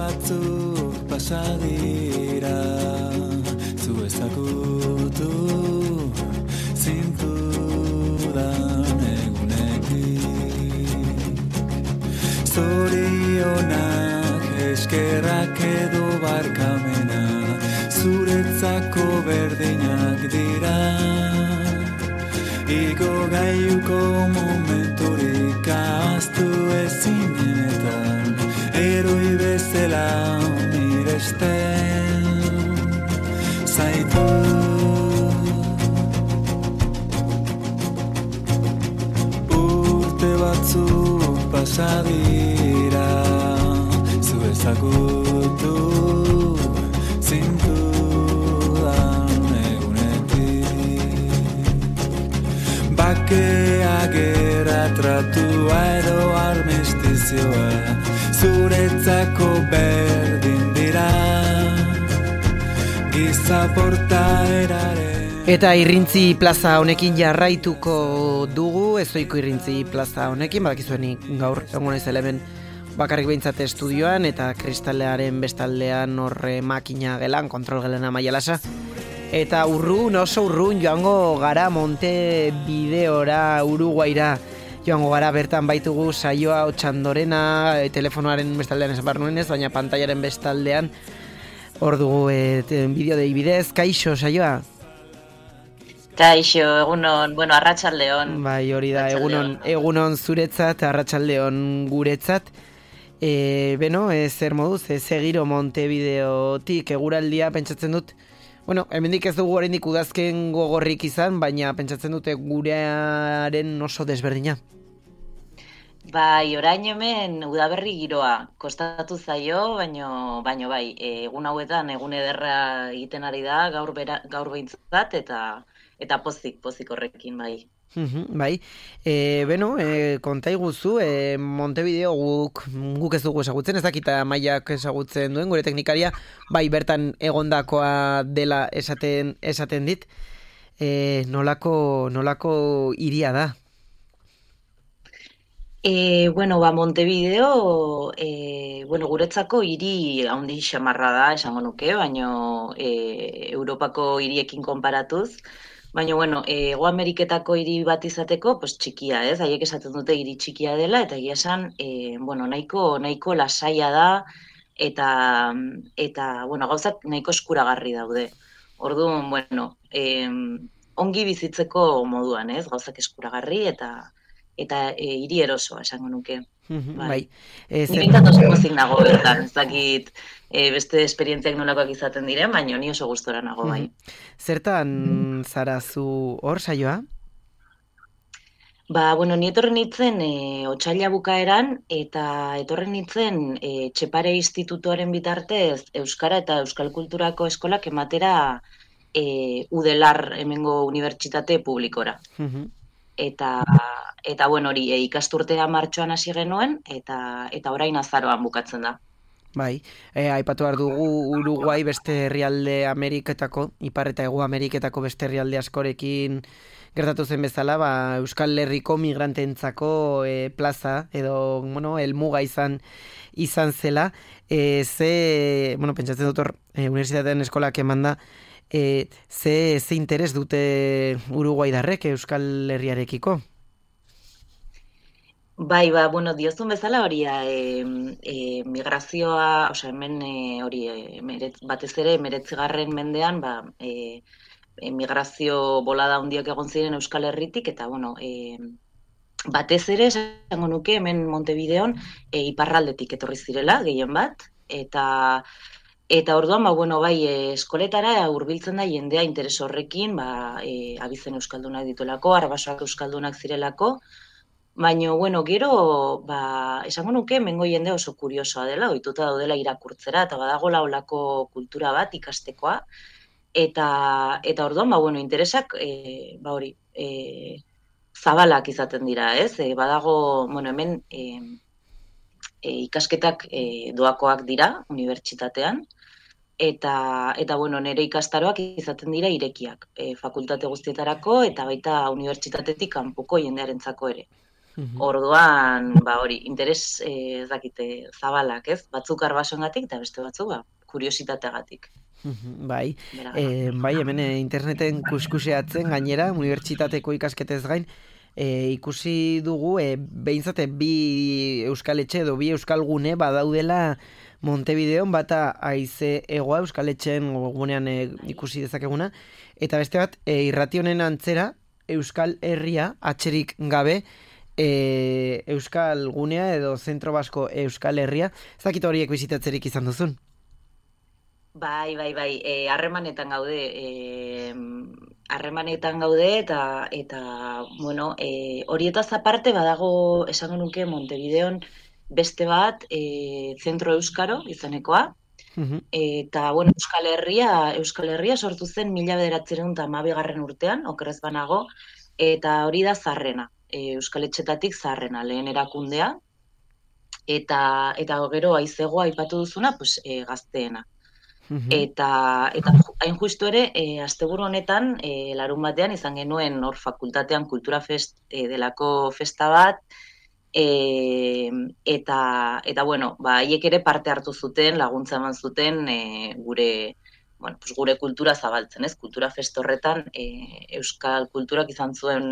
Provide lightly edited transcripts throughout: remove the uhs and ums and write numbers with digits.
batzuk pasadira, zu ezagutu zintudan egunetik. Zorionak, eskerrak edo barkamena, zuretzako berdinak dira. Igo gaiuko momenturik ahaztu ezinetan, eroi bezala miresten zaitu. Urte batzuk pasadira, zu ezagutu zintudan egunetik. Bakea, gera, tratua edo armistizioa, zuretzako berdin dira, giza portaeraren. Eta Irrintzi plaza honekin jarraituko dugu, ezoiko Irrintzi plaza honekin, badakizuenik gaur egon naizela hemen bakarrik behintzat estudioan, eta kristalearen bestaldean horre makina gelan, kontrol gelan Amaialasa. Eta urrun, oso urrun joango gara Montevideora, Uruguaira, joango gara bertan baitugu saioa Otxandorena, telefonoaren bestaldean esan behar nuenez, baina pantailaren bestaldean hor dugu bideo dei bidez. Kaixo saioa? Kaixo, egunon, bueno, arratsaldeon. Bai, hori da, egunon zuretzat, arratsaldeon guretzat. Zer moduz, segiro Montevideotik eguraldia pentsatzen dut. Bueno, hemendik ez dugu oraindik udazken gogorrik izan, baina pentsatzen dute gurearen oso desberdina. Bai, orain hemen udaberri giroa kostatu zaio, baino bai, egun hauetan egun ederra egiten ari da, gaur behintzat eta pozik horrekin, bai. Bai, konta iguzu, Montevideo guk ez dugu ezagutzen, ez dakita Maiak ezagutzen duen, gure teknikaria, bai bertan egondakoa dela esaten dit, nolako hiria da? Montevideo, guretzako hiri handi xamarra da, esango nuke, baino Europako hiriekin konparatuz, baina, Hego Ameriketako hiri bat izateko, pues txikia, ez? Haiek esaten dute hiri txikia dela, eta egia esan, nahiko lasaia da, eta gauzak nahiko eskuragarri daude. Orduan, ongi bizitzeko moduan, ez? Gauzak eskuragarri eta hiri erosoa, esango nuke. Bai. Ni oso pozik nago bertan, ez dakit beste esperientziak nolakoak izaten diren, baina ni oso gustora nago, bai. Zertan zara zu hor saioa? Ni etorren nintzen otsaila bukaeran, eta etorren nintzen Txepare Institutuaren bitartez Euskara eta Euskal Kulturako eskolak ematera Udelar hemengo unibertsitate publikora. Eta hori ikasturtea martxoan hasi genuen, eta orain azaroan bukatzen da. Bai, aipatu behar dugu Uruguai beste herrialde Ameriketako, Ipar eta Hego Ameriketako beste herrialde askorekin gertatu zen bezala, Euskal Herriko migranteentzako plaza, edo, helmuga izan zela. Pentsatzen dut hor, unibertsitatean eskolak emanda, ze interes dute Uruguaidarrek Euskal Herriarekiko? Bai, diozun bezala hori migrazioa, hemen batez ere 19. mendean, migrazio bolada handiak egon ziren Euskal Herritik, eta batez ere, esango nuke, hemen Montevideon iparraldetik etorri zirela, gehien bat, eta orduan, eskoletara hurbiltzen da jendea interes horrekin, abizen euskaldunak dituelako, arbasoak euskaldunak zirelako, baina, gero, esango nuke, hemengo jende oso kuriosoa dela, ohituta daudela irakurtzera, eta badagola olako kultura bat ikastekoa, eta orduan, interesak, zabalak izaten dira, ez? Badago, hemen ikasketak doakoak dira, unibertsitatean, eta nire ikastaroak izaten dira irekiak, fakultate guztietarako, eta baita unibertsitatetik kanpoko jendearentzako ere. Orduan, hori, interes ez dakite zabalak, ez? Batzuk arbasoengatik eta beste batzuk, kuriositateagatik. Bai, Beragatik. bai, hemen interneten kuskuseatzen gainera, unibertsitateko ikasketez gain, ikusi dugu, behintzate bi euskal etxe edo bi euskal gune badaudela Montevideon, bata haize egoa euskal etxeen gunean ikusi dezakeguna, eta beste bat, irrati honen antzera, euskal herria, atxerik gabe, euskal gunea edo zentro basko euskal herria, ez dakit horiek bizitatzerik izan duzun? Bai, harremanetan gaude, harremanetan gaude eta bueno, horietaz aparte badago esango nuke Montevideon beste bat, zentro euskaro izanekoa, eta bueno, Euskal Herria sortu zen 1912 urtean, okerrez banago, eta hori da zaharrena, Euskal Etxetatik zaharrena, lehen erakundea, eta gero haizegoa aipatu duzuna, pues, gazteena. Eta hain justu ere, asteburu honetan, larun batean izan genuen hor fakultatean kultura fest delako festa bat, eta bueno, haiek ere parte hartu zuten, laguntza eman zuten gure, bueno, pues gure kultura zabaltzen, ez? Kultura fest horretan, euskal kulturak izan zuen,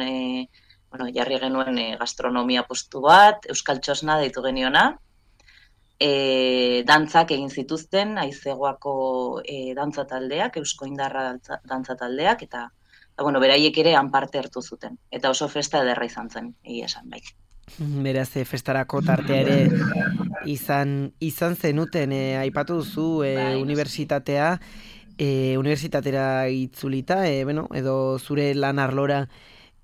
bueno, jarri genuen gastronomia postu bat, euskal txosna deitu geniona, dantzak egin zituzten, haizegoako dantza taldeak, eusko indarra dantza taldeak, eta bueno, beraiek ere han parte hartu zuten. Eta oso festa ederra izan zen, egia esan bai. Beraz, festarako tartea ere izan zenuten, aipatu duzu unibertsitatea, unibertsitatera itzulita, bueno, edo zure lan arlora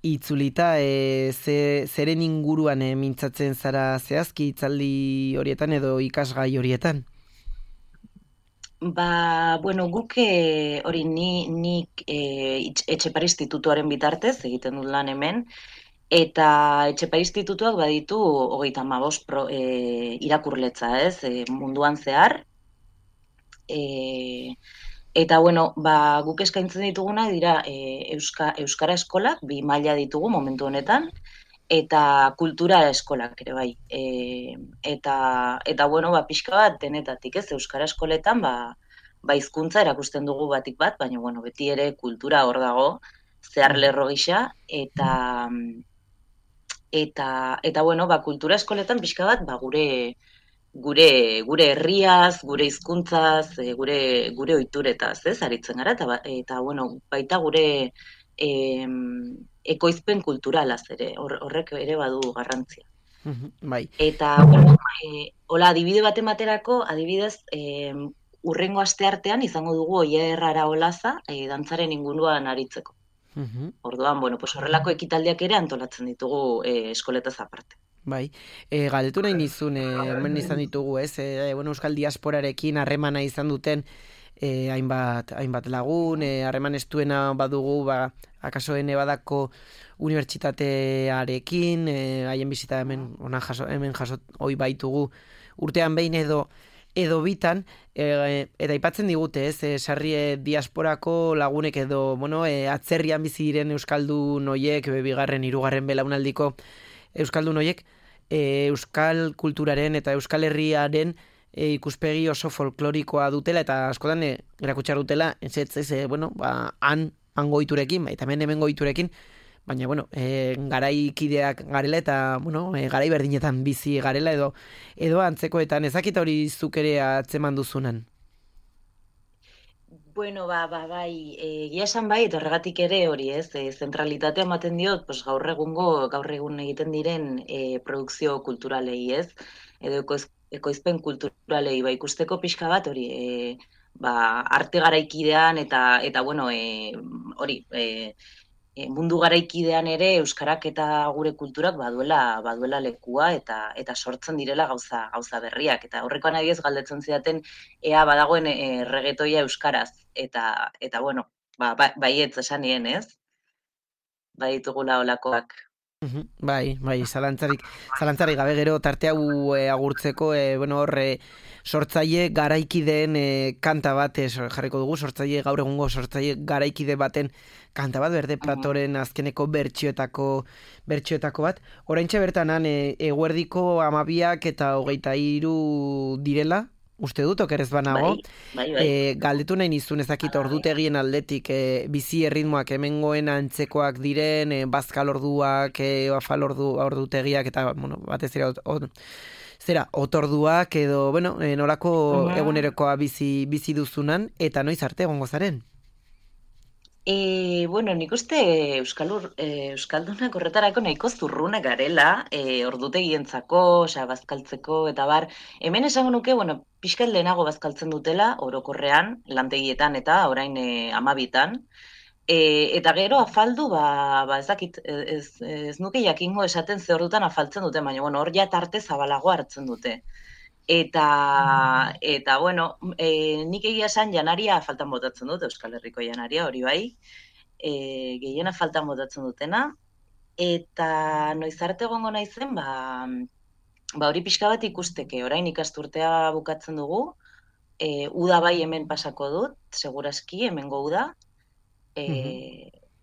itzulita, zeren inguruan mintzatzen zara zehazki hitzaldi horietan edo ikasgai horietan? Bueno, guk hori nik Etxepare Institutuaren bitartez egiten dut lan hemen, eta Etxepare Institutuak baditu 35 irakurletza, ez, munduan zehar, eta bueno, guk eskaintzen dituguna dira euskara eskolak, 2 maila ditugu momentu honetan, eta kultura eskolak ere bai. Eta bueno, pixka bat denetatik, ez, euskara eskoletan, hizkuntza erakusten dugu batik bat, baina bueno, beti ere kultura hor dago, zehar lerro gisa, eta bueno, kultura eskoletan pixka bat, gure herriaz, gure hizkuntzaz, gure ohituretaz, ez, aritzen gara, eta bueno, baita gure ekoizpen kulturalaz ere, horrek ere badu garrantzia. Bai. Eta, bueno, hola, adibide bat ematerako, adibidez, urrengo asteartean izango dugu Oier Araolaza dantzaren inguruan aritzeko. Orduan, bueno, pues horrelako ekitaldiak ere antolatzen ditugu eskoletaz aparte. Bai, galdetu nahi nizun, hemen izan ditugu, ez? Bueno, euskal diasporarekin harremana izan duten hainbat lagun, harreman estuena badugu, akaso Nebadako unibertsitatearekin, haien bizita hemen jaso hoi baitugu urtean behin edo bitan, eta aipatzen digute, ez, sarri diasporako lagunek edo, bueno, atzerrian bizi diren euskaldun hoiek, bigarren, hirugarren belaunaldiko euskaldun hoiek, euskal kulturaren eta euskal herriaren ikuspegi oso folklorikoa dutela, eta askotan erakutsi dutela, bueno, hango ohiturekin, eta hemen ohiturekin, baina, bueno, garaikideak garela eta, bueno, garai berdinetan bizi garela edo antzekoetan, ezakit hori zuk ere atzeman duzunan? Bueno, bai, egia esan bai, eta horregatik ere hori, ez, zentralitatea ematen diot, pues gaur egun egiten diren produkzio kulturalei, ez, edo ekoizpen kulturalei, ikusteko pixka bat hori, arte garaikidean eta bueno, hori, mundu garaikidean ere euskarak eta gure kulturak baduela lekua eta sortzen direla gauza berriak, eta horrekoan adiez galdetzen zidaten ea badagoen reggaetoia euskaraz, eta bueno, baietz esan nien, ez? Baditugula holakoak. Bai, zalantzarik gabe gero tarte hau agurtzeko, sortzaile garaikideen kanta bat jarriko dugu, gaur egungo sortzaile garaikide baten kanta bat, Berde Pratoren azkeneko bertsioetako bat. Oraintxe bertanan eguerdiko 12 eta 23 direla, uste dut, okerez banago. Bai. Galdetu nahi nizun ezakit ordutegien aldetik, bizi erritmoak hemengoen antzekoak diren, bazkal orduak, afal ordutegiak, eta, batez zera, otorduak, edo, nolako egunerokoa bizi duzunan, eta noiz arte egongo zaren? Nik uste Euskaldunak horretarako nahiko zurrunak garela, ordutegientzako, bazkaltzeko, eta bar, hemen esango nuke, pixkat lehenago bazkaltzen dutela, orokorrean, lantegietan eta orain 12tan, eta gero afaldu, ezakit, ez nuke jakingo esaten ze ordutan afaltzen dute, baina, hor ja tarte zabalago hartzen dute. Eta nik egia esan janaria faltan botatzen dut, Euskal Herriko janaria, hori bai, gehiena faltan botatzen dutena, eta noiz arte egongo naizen, hori pixka bat ikusteke, orain ikasturtea bukatzen dugu, uda bai hemen pasako dut, seguraski, hemengo uda,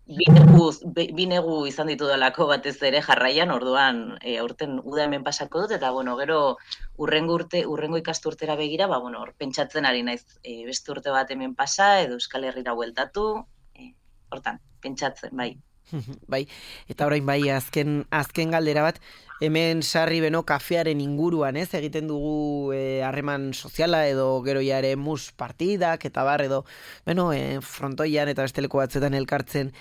bi negu izan ditu dalako batez ere jarraian, orduan aurten uda hemen pasako dut, eta gero urrengo ikasturtera begira, hor pentsatzen ari naiz beste urte bat hemen pasa, edo Euskal Herrira bueltatu, hortan, pentsatzen, bai. Bai, eta orain bai, azken galdera bat, hemen sarri beno kafearen inguruan, egiten dugu harreman soziala edo gero jare mus partidak eta bar edo, frontoian eta besteleko batzuetan elkartzen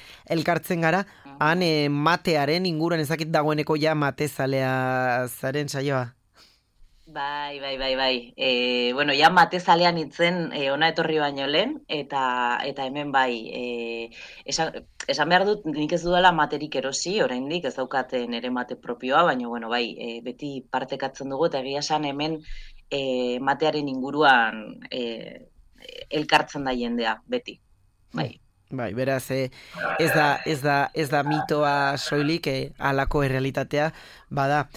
gara, han matearen inguruan ezakit dagoeneko ja matezalea zaren saioa. Bai. Ja matezalean itzen ona etorri baino lehen, eta hemen bai, esan behar dut nik ez dudala materik erosi, oraindik ez daukaten ere mate propioa, baina bai, beti partekatzen dugu, eta egia esan hemen matearen inguruan elkartzen da jendea, beti, bai. Bai, beraz, ez da mitoa soilik, halako errealitatea, bada,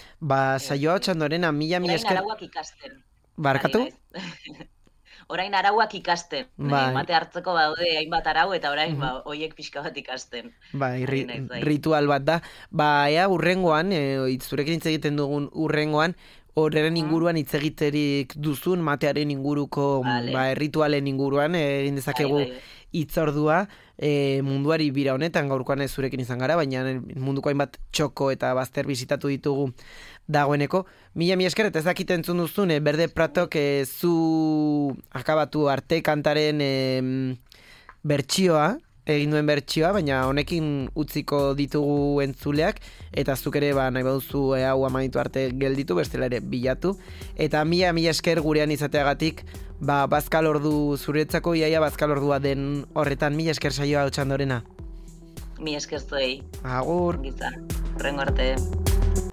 saioa txandorena, mila esker... Orain arauak ikasten. Barkatu? Orain arauak ikasten. Mate hartzeko daude hainbat arau, eta orain hoiek pixka bat ikasten. Bai, ritual bat da. Ea, urrengoan, zurekin hitz egiten dugun urrengoan, horren inguruan hitz egiterik duzun, matearen inguruko, ritualen inguruan, egin dezakegu hitzordua, munduari bira honetan, gaurkoan ez zurekin izan gara, baina munduko hainbat txoko eta bazter bizitatu ditugu dagoeneko. Mila esker, eta ezakit entzun duzun, Berde Pratok zu akabatu arte kantaren bertsioa, egin duen bertsioa, baina honekin utziko ditugu entzuleak, eta zuk ere nahi baduzu hau amaitu arte gelditu, bestela ere bilatu. Eta mila esker gurean izateagatik, bazkal ordu zuretzako, iaia bazkal ordua den horretan, mila esker saioa Otxandorena. Mila esker zuei. Agur. Horrengo arte.